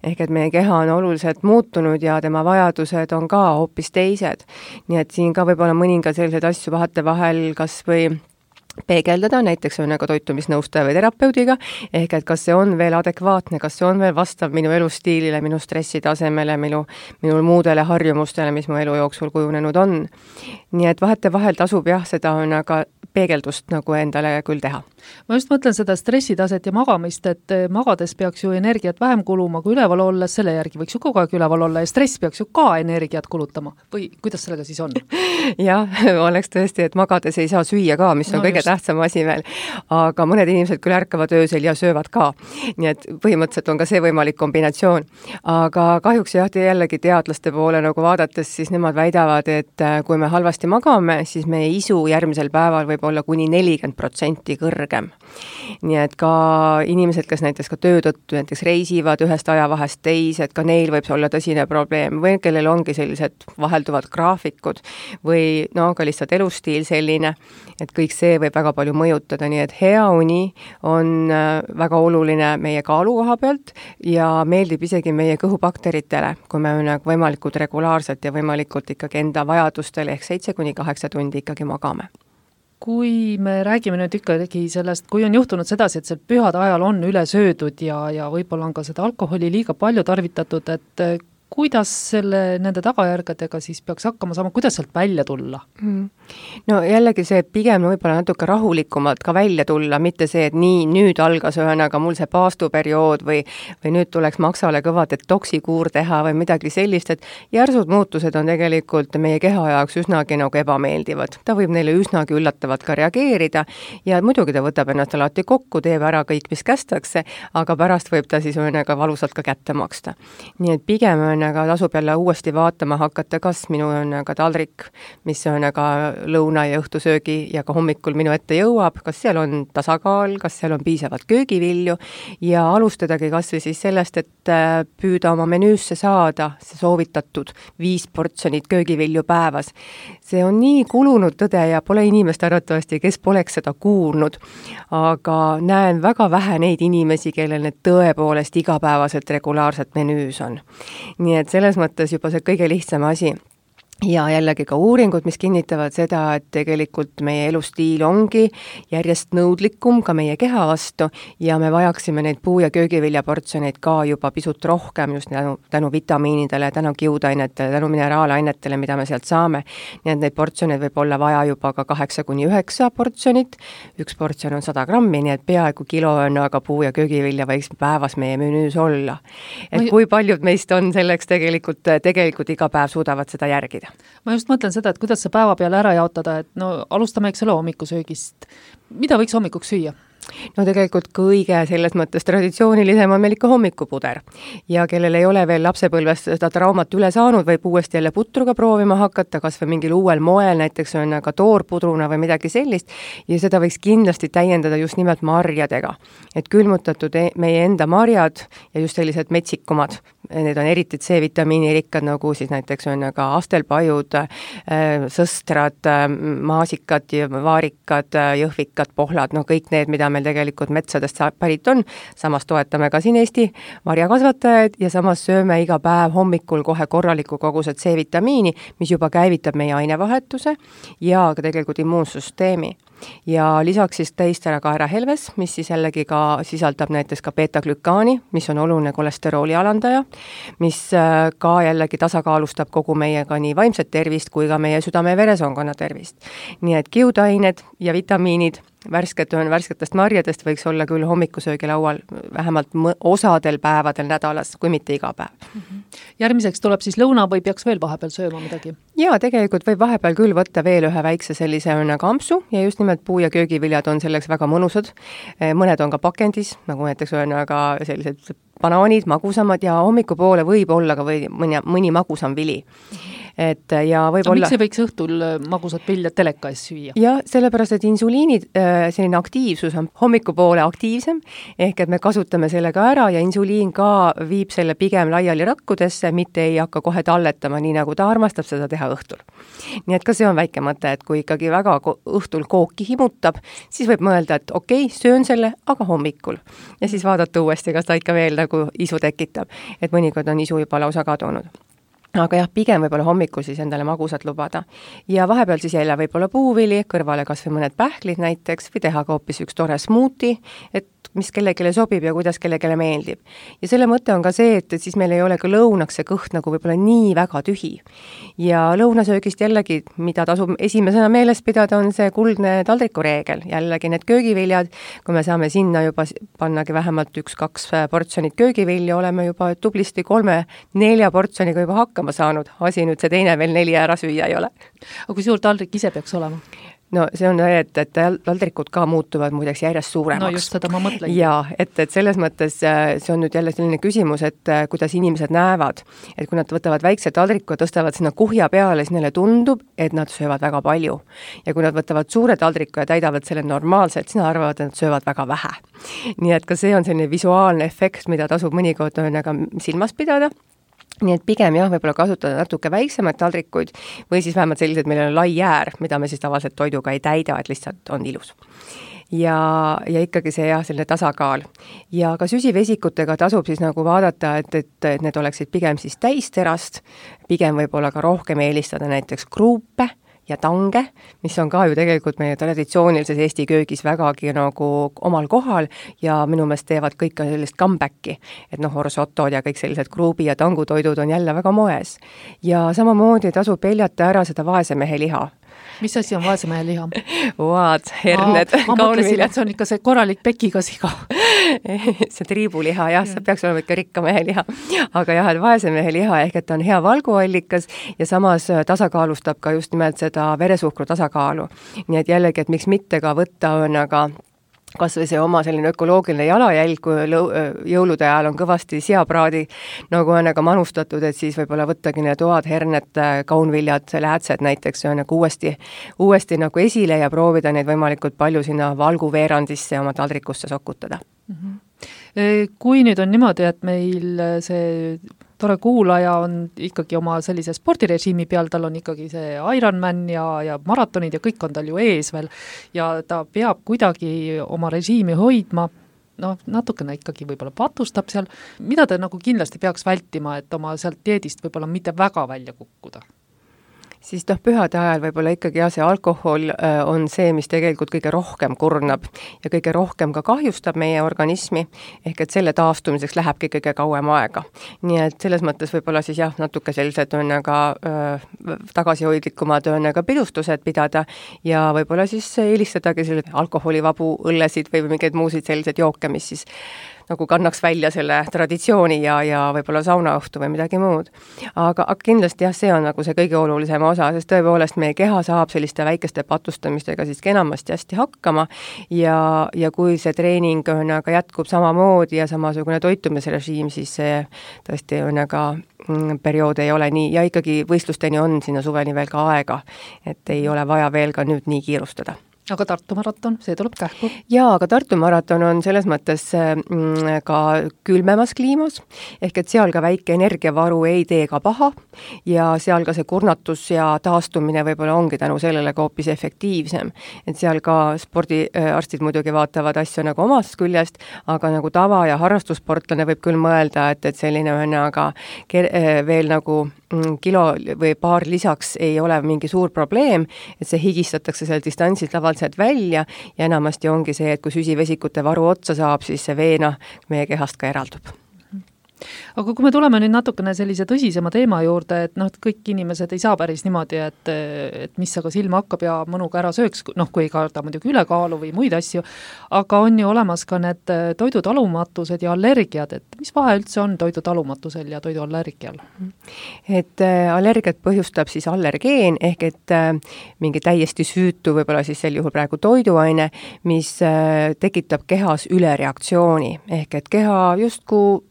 Ehk et meie keha on oluliselt muutunud ja tema vajadused on ka hoopis teised. Nii et siin ka võib olla mõninga selliseid asju vahetevahel kas või peegeldada, näiteks on nagu toitumisnõustaja või terapeudiga, ehk et kas see on veel adekvaatne, kas see on veel vastav minu elustiilile, minu stressitasemele, minu muudele harjumustele, mis mu elu jooksul kujunenud on. Nii et vahetevahel tasub seda on aga peegeldust nagu endale küll teha. Ma just mõtlen seda stressitaset ja magamist, et magades peaks ju energiat vähem kuluma kui üleval olles, selle järgi võiks ju kogu aeg üleval olla ja stress peaks ju ka energiat kulutama. Või kuidas sellega siis on? Jah, oleks tõesti, et magades ei saa süüa ka, mis on kõige tähtsam asi veel. Aga mõned inimesed küll ärkavad öösel ja söövad ka. Nii et põhimõtteliselt on ka see võimalik kombinatsioon. Aga kahjuks jällegi teadlaste poole nagu vaadates, siis nemad väidavad, et kui me halvasti magame, siis meie isu järgmisel päeval võib olla kuni 40% kõrgem. Nii et ka inimesed, kes näiteks ka töö tõttu näiteks reisivad ühest ajavahest teise, et ka neil võib olla tõsine probleem või kellel ongi sellised vahelduvad graafikud või ka lihtsalt elustiil selline, et kõik see võib väga palju mõjutada, nii et hea uni on väga oluline meie kaalu koha pealt ja meeldib isegi meie kõhubakteritele, kui me võimalikult regulaarselt ja võimalikult ikkagi enda vajadustele ehk 7-8 tundi ikkagi magame. Kui me räägime nüüd ikkagi sellest, kui on juhtunud sedasi, et see pühade ajal on üle söödud ja võib-olla on ka seda alkoholi liiga palju tarvitatud, et kuidas nende tagajärgedega siis peaks hakkama saama, kuidas sealt välja tulla? No jällegi see pigem võib-olla natuke rahulikumalt ka välja tulla, mitte see, et nii, nüüd algas ühesõnaga mul see paastuperiood või nüüd tuleks maksale kõva detoksikuur teha või midagi sellist, et järsud muutused on tegelikult meie keha jaoks üsnagi nagu ebameeldivad. Ta võib neile üsnagi üllatavalt ka reageerida ja muidugi ta võtab ennast alati kokku, teeb ära kõik, mis kästakse, aga pärast võib ta siis valusalt ka kätte maksta. Nii et pigem aga tasub jälle uuesti vaatama hakata, kas minu taldrik, mis on lõuna ja õhtusöögi ja ka hommikul minu ette jõuab, kas seal on tasakaal, kas seal on piisavalt köögivilju ja alustadagi kas või siis sellest, et püüda oma menüüsse saada see soovitatud 5 portsjonit köögivilju päevas. See on nii kulunud tõde ja pole inimest arvatavasti, kes poleks seda kuulnud, aga näen väga vähe neid inimesi, kellel need tõepoolest igapäevaselt regulaarselt menüüs on. Nii et selles mõttes juba see kõige lihtsam asi. Ja jällegi ka uuringud, mis kinnitavad seda, et tegelikult meie elustiil ongi järjest nõudlikum ka meie keha vastu ja me vajaksime neid puu- ja köögiviljaportsjoneid ka juba pisut rohkem just tänu vitamiinidele, tänu kiudainetele, tänu mineraalainetele, mida me sealt saame. Nii et neid portsjoneid võib olla vaja juba ka 8-9 portsjonit. Üks portsjon on 100 grammi, nii et peaaegu kilo on aga puu- ja köögivilja võiks päevas meie menüüs olla. Et kui paljud meist on selleks tegelikult iga päev suudavad seda järgida? Ma just mõtlen seda, et kuidas see päeva peale ära jaotada, et alustame selle hommikusöögist. Mida võiks hommikuks süüa? No tegelikult kõige selles mõttes traditsioonilisem on meil ikka hommikupuder ja kellel ei ole veel lapsepõlvest seda traumat üle saanud, võib uuesti jälle putruga proovima hakata, kas või mingil uuel moel, näiteks on ka toorpudruna või midagi sellist ja seda võiks kindlasti täiendada just nimelt marjadega. Et külmutatud meie enda marjad ja just sellised metsikumad, need on eriti C-vitamiini rikkad, nagu siis näiteks on ka astelpajud, sõstrad, maasikad, vaarikad, jõhvikad, pohlad, kõik need, mida meil tegelikult metsadest pärit on, samas toetame ka siin Eesti marjakasvatajaid ja samas sööme iga päev hommikul kohe korraliku koguse C-vitamiini, mis juba käivitab meie ainevahetuse ja ka tegelikult immuunsüsteemi. Ja lisaks siis täistärakaerahelves, mis siis jällegi ka sisaldab näiteks ka beta-glükaani, mis on oluline kolesterooli alandaja, mis ka jällegi tasakaalustab kogu meiega nii vaimset tervist kui ka meie südame- ja veresoonkonna tervist. Nii et kiudained ja vitamiinid värsketest marjadest võiks olla küll hommikusöögi laual vähemalt osadel päevadel nädalas, kui mitte iga päev. Järgmiseks tuleb siis lõuna või peaks veel vahepeal sööma midagi? Jaa, tegelikult võib vahepeal küll võtta veel ühe väikse sellise ampsu ja just nimelt mõlemad puu- ja köögiviljad on selleks väga mõnusad, mõned on ka pakendis, nagu näiteks aga sellised banaanid, magusamad ja hommikupoole võib olla ka mõni magusam vili. Ja miks ei võiks õhtul magusat viljad teleka ees süüa? Ja sellepärast, et insuliini selline aktiivsus on hommikupoole aktiivsem, ehk et me kasutame selle ka ära ja insuliin ka viib selle pigem laiali rakkudesse, mitte ei hakka kohe talletama, nii nagu ta armastab seda teha õhtul. Nii et ka see on väike mõte, et kui ikkagi väga õhtul kooki himutab, siis võib mõelda, et okei, söön selle, aga hommikul. Ja siis vaadata uuesti, kas ta ikka veel nagu isu tekitab, et mõnikord on isu juba lausa kadunud. Aga jah, pigem võib-olla hommikul siis endale magusat lubada. Ja vahepeal siis jälle võib-olla puuvili, kõrvale kas või mõned pähklid näiteks, või teha ka hoopis üks tore smuuti, et mis kellelegi sobib ja kuidas kellelegi meeldib. Ja selle mõte on ka see, et siis meil ei ole ka lõunaks see kõht nagu võib-olla nii väga tühi. Ja lõunasöögist jällegi, mida tasub esimesena meeles pidada, on see kuldne taldrikureegel. Jällegi need köögiviljad, kui me saame sinna juba pannagi vähemalt 1-2 portsjonit köögivilja, oleme juba tublisti 3-4 portsjoniga juba hakkama saanud. Asi nüüd see teine veel 4 ära süüa ei ole. Aga kui suur taldrik ise peaks olema? No see on, et taldrikud ka muutuvad muideks järjest suuremaks. No just seda ma mõtlen. Ja, et selles mõttes see on nüüd jälle selline küsimus, et kuidas inimesed näevad. Et kui nad võtavad väikse taldriku ja tõstavad sinna kuhja peale, siis neile tundub, et nad söövad väga palju. Ja kui nad võtavad suure taldriku ja täidavad selle normaalselt, siis nad arvavad, et nad söövad väga vähe. Nii et ka see on selline visuaalne efekt, mida tasub mõnikord silmas pidada. Nii et pigem jah, võib-olla kasutada natuke väiksemaid taldrikuid või siis vähemalt sellised, meil on lai jäär, mida me siis tavaliselt toiduga ei täida, et lihtsalt on ilus. Ja ikkagi see jah, selline tasakaal. Ja ka süsivesikutega tasub siis nagu vaadata, et need oleksid pigem siis täisterast, pigem võib-olla ka rohkem eelistada näiteks kruupe ja tange, mis on ka ju tegelikult meie traditsioonilises Eesti köögis vägagi nagu omal kohal ja minu meelest teevad kõik ka sellist comebacki, et orsotod ja kõik sellised kruubi- ja tangutoidud on jälle väga moes. Ja samamoodi tasub peljata ära seda vaesemehe liha. Mis asi on vaesemehe liha? Vaad, herned. Ma mõtlesin, et see on ikka see korralik pekiga siga. See triibuliha, jah, see peaks olema ikka rikka mehe liha. Aga jah, et vaesemehe liha ehk et ta on hea valguallikas ja samas tasakaalustab ka just nimelt seda veresuhkru tasakaalu. Nii et jällegi, et miks mitte ka võtta on aga kas või see oma selline ökoloogiline jalajälg, kui jõulude ajal on kõvasti seapraadi nagu on manustatud, et siis võib-olla võttagi need oad, herned, kaunviljad, läätsed näiteks on uuesti nagu esile ja proovida neid võimalikult palju sinna valguveerandisse oma taldrikusse sokutada. Kui nüüd on niimoodi, et meil see tore kuulaja on ikkagi oma sellise spordirežiimi peal, tal on ikkagi see Ironman ja maratonid ja kõik on tal ju ees veel ja ta peab kuidagi oma režiimi hoidma, natukene ikkagi võib-olla patustab seal, mida ta nagu kindlasti peaks vältima, et oma sealt dieedist võib-olla mitte väga välja kukkuda? Siis pühade ajal võib-olla ikkagi see alkohol on see, mis tegelikult kõige rohkem kurnab ja kõige rohkem ka kahjustab meie organismi, ehk et selle taastumiseks lähebki kõige kauem aega. Nii et selles mõttes võib-olla siis jah, natuke sellised tagasihoidlikumad pidustused pidada ja võib-olla siis eelistadagi sellised alkoholivabu õllesid või mingeid muusid sellised jooke, mis siis nagu kannaks välja selle traditsiooni ja võib-olla saunaõhtu või midagi muud. Aga kindlasti jah, see on nagu see kõige olulisem osa, sest tõepoolest meie keha saab selliste väikeste patustamistega siis enamasti hästi hakkama ja kui see treening on aga jätkub samamoodi ja samasugune toitumisrežiim, siis see tõesti on aga periood ei ole nii ja ikkagi võistlusteni on sinna suveni veel ka aega, et ei ole vaja veel ka nüüd nii kiirustada. Aga Tartu maraton, see tuleb kähku? Jaa, aga Tartu maraton on selles mõttes ka külmemas kliimas, ehk et seal ka väike energiavaru ei tee ka paha ja seal ka see kurnatus ja taastumine võib-olla ongi tänu sellele ka hoopis efektiivsem. Et seal ka spordiarstid muidugi vaatavad asju nagu omast küljest, aga nagu tava- ja harrastussportlane võib küll mõelda, et selline on aga veel nagu kilo või paar lisaks ei ole mingi suur probleem, et see higistatakse seal distantsid lavalt välja ja enamasti ongi see, et kui süsivesikute varu otsa saab, siis see veena meie kehast ka eraldub. Aga kui me tuleme nüüd natukene sellise tõsisema teema juurde, et noh, et kõik inimesed ei saa päris niimoodi, et mis aga silma hakkab ja mõnuga ära sööks, noh, kui ei karda muidugi ülekaalu või muid asju, aga on ju olemas ka need toidutalumatused ja allergiad, et mis vahe üldse on toidutalumatusel ja toiduallergial? Et allergiat põhjustab siis allergeen, ehk et mingi täiesti süütu, võib-olla siis sel juhul praegu toiduaine, mis tekitab kehas ülereaktsiooni, ehk et keha justkui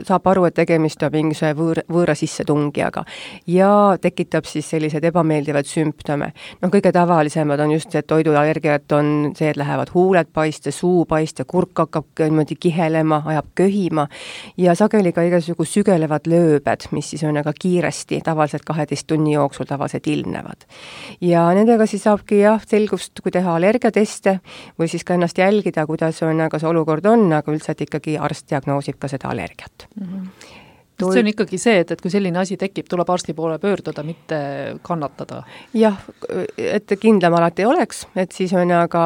saab aru, et tegemist on mingisuguse võõra sissetungijaga ja tekitab siis sellised ebameeldivad sümptome. No kõige tavalisemad on just see, et toiduallergiat on see, et lähevad huuled paiste, suu paiste, kurk hakkab niimoodi kihelema, ajab köhima ja sageli ka igasugu sügelevad lööbed, mis siis on aga kiiresti, tavaliselt 12 tunni jooksul tavaliselt ilmnevad. Ja nendega siis saabki selgust, kui teha allergiateste või siis ka ennast jälgida, kuidas on, aga see olukord on, aga üldiselt ikkagi arst diagnoosib ka seda allergiat. See on ikkagi see, et kui selline asi tekib, tuleb arsti poole pöörduda, mitte kannatada. Jah, et kindlam alati oleks, et siis on aga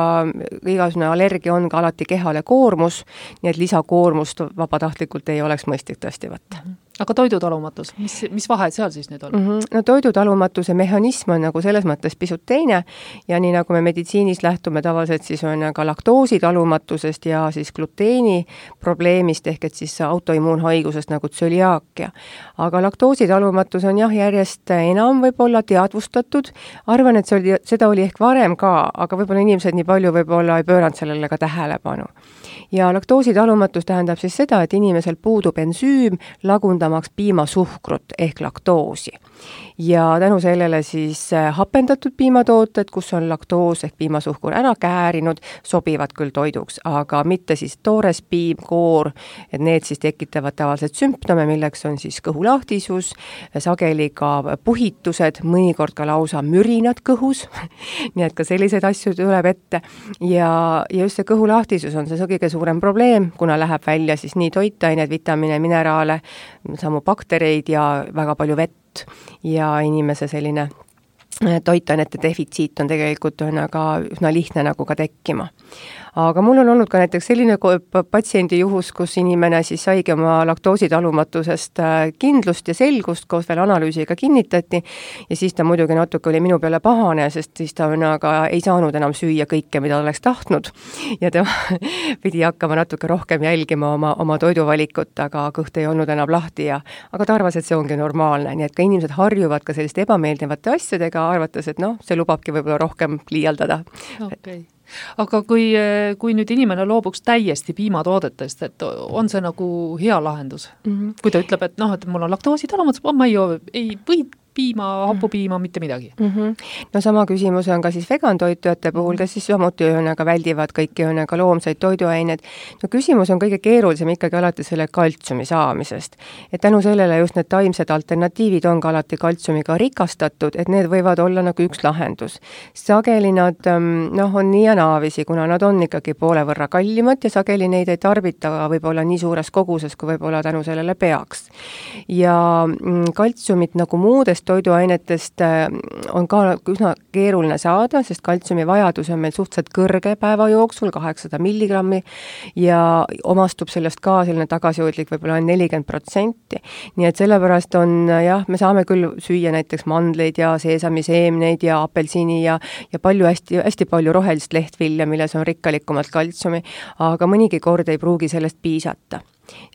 igasugune allergia on ka alati kehale koormus, nii et lisakoormust vabatahtlikult ei oleks mõistlik tõesti võtta. Aga toidutalumatus, mis vahe seal siis nüüd on? No toidutalumatuse mehhanism on nagu selles mõttes pisut teine ja nii nagu me meditsiinis lähtume tavaliselt siis on ka laktoositalumatusest ja siis gluteeni probleemist ehk et siis autoimmuunhaigusest nagu tsöliaakia. Aga laktoositalumatus on järjest enam võib-olla teadvustatud. Arvan, et seda oli ehk varem ka, aga võib-olla inimesed nii palju võib-olla ei pööranud sellele ka tähelepanu. Ja laktoositalumatus tähendab siis seda, et inimesel puudub ensüüm lagundamaks piimasuhkrut ehk laktoosi. Ja tänu sellele siis hapendatud piimatooted, kus on laktoos ehk piimasuhkur ära käärinud, sobivad küll toiduks, aga mitte siis toores piim, koor, et need siis tekitavad tavaliselt sümptome, milleks on siis kõhulahtisus, sageli ka puhitused, mõnikord ka lausa mürinad kõhus, nii et ka selliseid asju tuleb ette ja just see kõhulahtisus on see kõige suurem probleem, kuna läheb välja siis nii toitained, vitamiine, mineraale, samu baktereid ja väga palju vett ja inimese selline toitainete defitsiit on tegelikult aga üsna lihtne nagu ka tekkima. Aga mul on olnud ka näiteks selline patsiendi juhus, kus inimene siis saigi oma laktoositalumatusest kindlust ja selgust, koos veel analüüsiga kinnitati ja siis ta muidugi natuke oli minu peale pahane, sest siis ta aga ei saanud enam süüa kõike, mida oleks tahtnud ja ta pidi hakkama natuke rohkem jälgima oma toiduvalikut, aga kõht ei olnud enam lahti aga ta arvas, et see ongi normaalne, nii et ka inimesed harjuvad ka selliste ebameeldivate asjadega, arvates, et see lubabki võib-olla rohkem liialdada. Okay. Aga kui nüüd inimene loobuks täiesti piimatoodetest, et on see nagu hea lahendus? Kui ta ütleb, et et mul on laktoositalumatus, ma ei või piima, hapupiima, mitte midagi. No sama küsimus on ka siis vegantoitujate puhul, kes siis samuti väldivad kõiki loomseid toiduaineid. No küsimus on kõige keerulisem ikkagi alati selle kaltsiumi saamisest. Et tänu sellele just need taimsed alternatiivid on ka alati kaltsiumiga rikastatud, et need võivad olla nagu üks lahendus. Sageli nad on nii ja naavisi, kuna nad on ikkagi poole võrra kallimad ja sageli neid ei tarbita võib-olla nii suures koguses, kui võib-olla tänu sellele peaks. Ja kaltsiumit nagu muudest toiduainetest on ka üsna keeruline saada, sest kaltsiumi vajadus on meil suhteliselt kõrge päeva jooksul, 800 milligrammi ja omastub sellest ka selline tagasihoidlik võib-olla 40%. Nii et sellepärast on me saame küll süüa näiteks mandleid ja seesamiseemneid ja apelsini ja palju hästi palju rohelist lehtvilja, milles on rikkalikumalt kaltsiumi, aga mõnigi kord ei pruugi sellest piisata.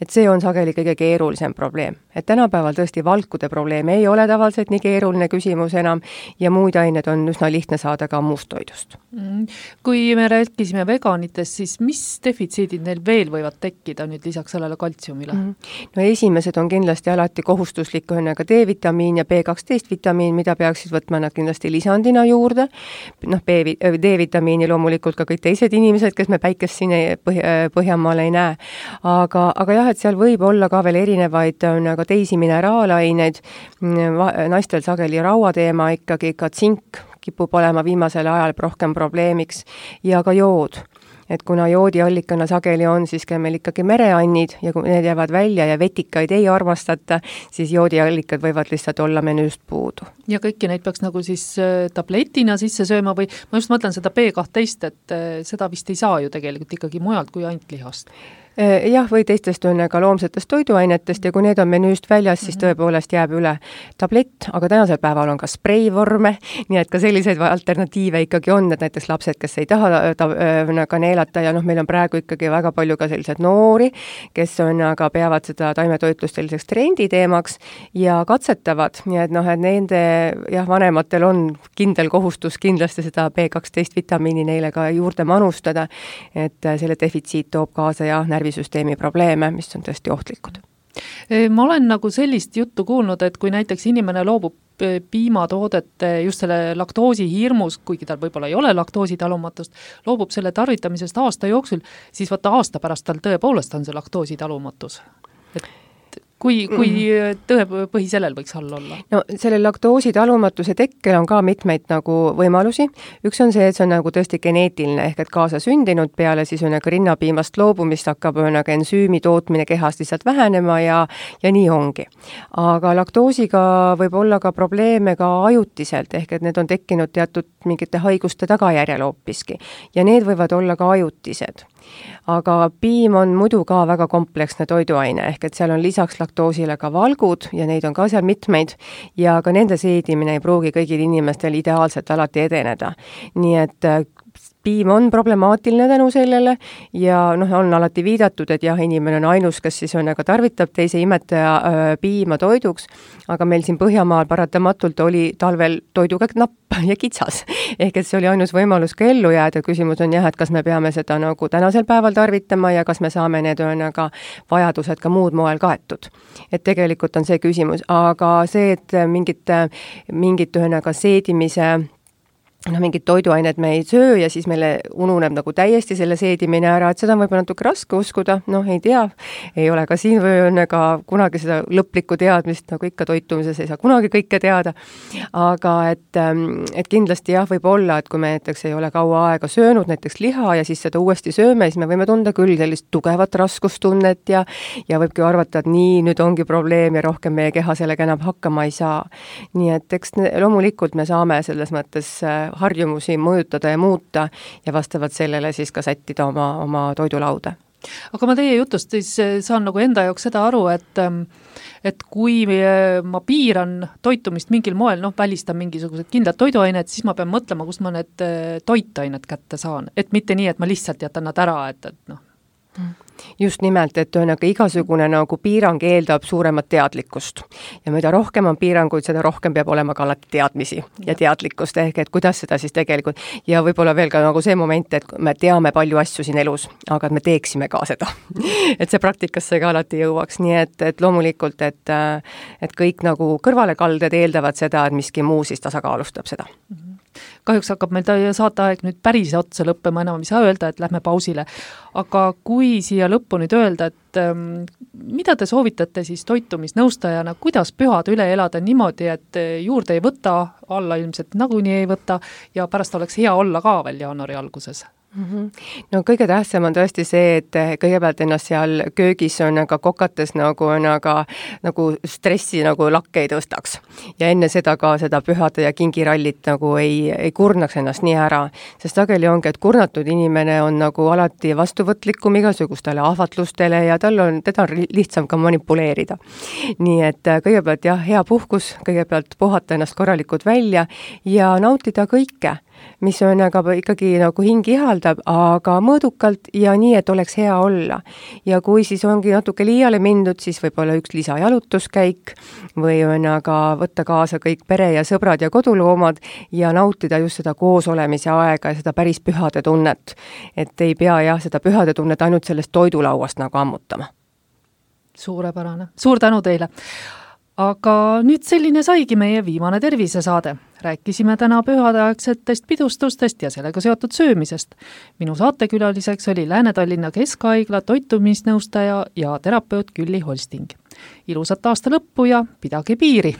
Et see on sageli kõige keerulisem probleem. Et tänapäeval tõesti valkude probleem ei ole tavaliselt nii keeruline küsimus enam ja muid ained on üsna lihtne saada ka muust toidust. Kui me rääkisime veganitest, siis mis defitsiidid neil veel võivad tekkida nüüd lisaks sellele kaltsiumile? No esimesed on kindlasti alati kohustuslik D-vitamiin ja B12 vitamiin, mida peaksid võtma nad kindlasti lisandina juurde. D-vitamiini loomulikult ka kõik teised inimesed, kes me päikest siin Põhjamaal ei näe. Aga jah, et seal võib olla ka veel erinevaid ka teisi mineraalaineid, naistel sageli rauateema ikkagi, ka tsink kipub olema viimasel ajal rohkem probleemiks ja ka jood. Et kuna joodiallikana sageli on, siis meil ikkagi mereannid ja kui need jäävad välja ja vetikaid ei armastata, siis joodiallikad võivad lihtsalt olla menüüst puudu. Ja kõiki neid peaks nagu siis tabletina sisse sööma või ma just mõtlen seda B12, et seda vist ei saa ju tegelikult ikkagi mujalt kui ainult lihast. Jah, või teistest ka loomsetest toiduainetest ja kui need on menüüst väljas, siis tõepoolest jääb üle tablett, aga tänasel päeval on ka spreivorme, nii et ka selliseid alternatiive ikkagi on, et näiteks lapsed, kes ei taha ka neelata ja meil on praegu ikkagi väga palju ka sellised noori, kes aga peavad seda taimetoitlust selliseks trenditeemaks ja katsetavad, nii et et nende vanematel on kindel kohustus kindlasti seda B12 vitamiini neile ka juurde manustada, et selle defitsiit toob kaasa närvisüsteemi probleeme, mis on tõesti ohtlikud. Ma olen sellist juttu kuulnud, et kui näiteks inimene loobub piimatoodete just selle laktoosi hirmus, kuigi tal võib-olla ei ole laktoositalumatust, loobub selle tarvitamisest aasta jooksul, siis aasta pärast tal tõepoolest on see laktoositalumatus. Kui tõepõhi sellel võiks all olla? No selle laktoositalumatuse tekkel on ka mitmeid võimalusi. Üks on see, et see on tõesti geneetiline, ehk et kaasa sündinud peale siis rinnapiimast loobumist hakkab ensüümi tootmine kehas lihtsalt vähenema ja nii ongi. Aga laktoosiga võib olla ka probleeme ka ajutiselt, ehk et need on tekkinud teatud mingite haiguste tagajärjel hoopiski ja need võivad olla ka ajutised. Aga piim on muidu ka väga kompleksne toiduaine, ehk et seal on lisaks laktoosile ka valgud ja neid on ka seal mitmeid ja ka nende seedimine ei pruugi kõigil inimestel ideaalselt alati edeneda. Nii et piim on problemaatiline tänu sellele ja on alati viidatud, et inimene on ainus, kes siis tarvitab teise imetaja piima toiduks, aga meil siin Põhjamaal paratamatult oli talvel toiduga napp ja kitsas. Ehk et see oli ainus võimalus ka ellu jääda. Küsimus on et kas me peame seda tänasel päeval tarvitama ja kas me saame need vajadused ka muud moel kaetud. Et tegelikult on see küsimus, aga see, et mingit seedimise mingid toiduained me ei söö ja siis meile ununeb täiesti selle seedimine ära, et seda on võib-olla natuke raske uskuda, ei tea, ei ole ka siin või kunagi seda lõplikku teadmist, ikka toitumises ei saa kunagi kõike teada, aga et kindlasti võib olla, et kui me näiteks ei ole kaua aega söönud näiteks liha ja siis seda uuesti sööme, siis me võime tunda küll sellist tugevat raskustunnet ja võibki arvata, et nii, nüüd ongi probleem ja rohkem meie keha sellega enam hakkama ei saa. Nii et eks loomulikult me saame selles mõttes harjumusi mõjutada ja muuta ja vastavalt sellele siis ka sättida oma toidulauda. Aga ma teie jutust siis saan enda jaoks seda aru, et kui ma piiran toitumist mingil moel, välistan mingisugused kindlad toiduained, siis ma pean mõtlema, kust ma need toitained kätte saan. Et mitte nii, et ma lihtsalt jätan nad ära, et Just nimelt, et igasugune piirang eeldab suuremat teadlikkust. Ja mida rohkem on piiranguid, seda rohkem peab olema ka alati teadmisi ja teadlikkust, ehk et kuidas seda siis tegelikult. Ja võib-olla veel ka see moment, et me teame palju asju siin elus, aga me teeksime ka seda. Et see praktikasse ka alati jõuaks. Nii et loomulikult, et kõik kõrvalekalded eeldavad seda, et miski muu siis tasakaalustab seda. Kahjuks hakkab meil saateaeg nüüd päris otsa lõppema, enam ei saa öelda, et lähme pausile. Aga kui siia lõppu nüüd öelda, et mida te soovitate siis toitumisnõustajana, kuidas pühad üle elada niimoodi, et juurde ei võta, alla ilmselt nagunii ei võta ja pärast oleks hea olla ka veel jaanuari alguses? No kõige tähtsam on tõesti see, et kõigepealt ennast seal köögis on kokates stressi lakke ei tõstaks. Ja enne seda ka seda pühade ja kingirallit ei kurnaks ennast nii ära. Sest sageli ongi, et kurnatud inimene on alati vastuvõtlikum igasugustele ahvatlustele ja teda on lihtsam ka manipuleerida. Nii et kõigepealt hea puhkus, kõigepealt puhata ennast korralikult välja ja nautida kõike, mis on ikkagi hing ihaldab, aga mõõdukalt ja nii, et oleks hea olla. Ja kui siis ongi natuke liiale mindud, siis võib olla üks lisajalutuskäik või võtta kaasa kõik pere ja sõbrad ja koduloomad ja nautida just seda koosolemise aega ja seda päris pühade tunnet. Et ei pea seda pühade tunnet ainult sellest toidulauast ammutama. Suurepärane. Suur tänu teile! Aga nüüd selline saigi meie viimane tervisesaade. Rääkisime täna pühadeaegsetest pidustustest ja sellega seotud söömisest. Minu saatekülaliseks oli Lääne-Tallinna Keskhaigla toitumisnõustaja ja terapeut Külli Holsting. Ilusat aasta lõppu ja pidage piiri!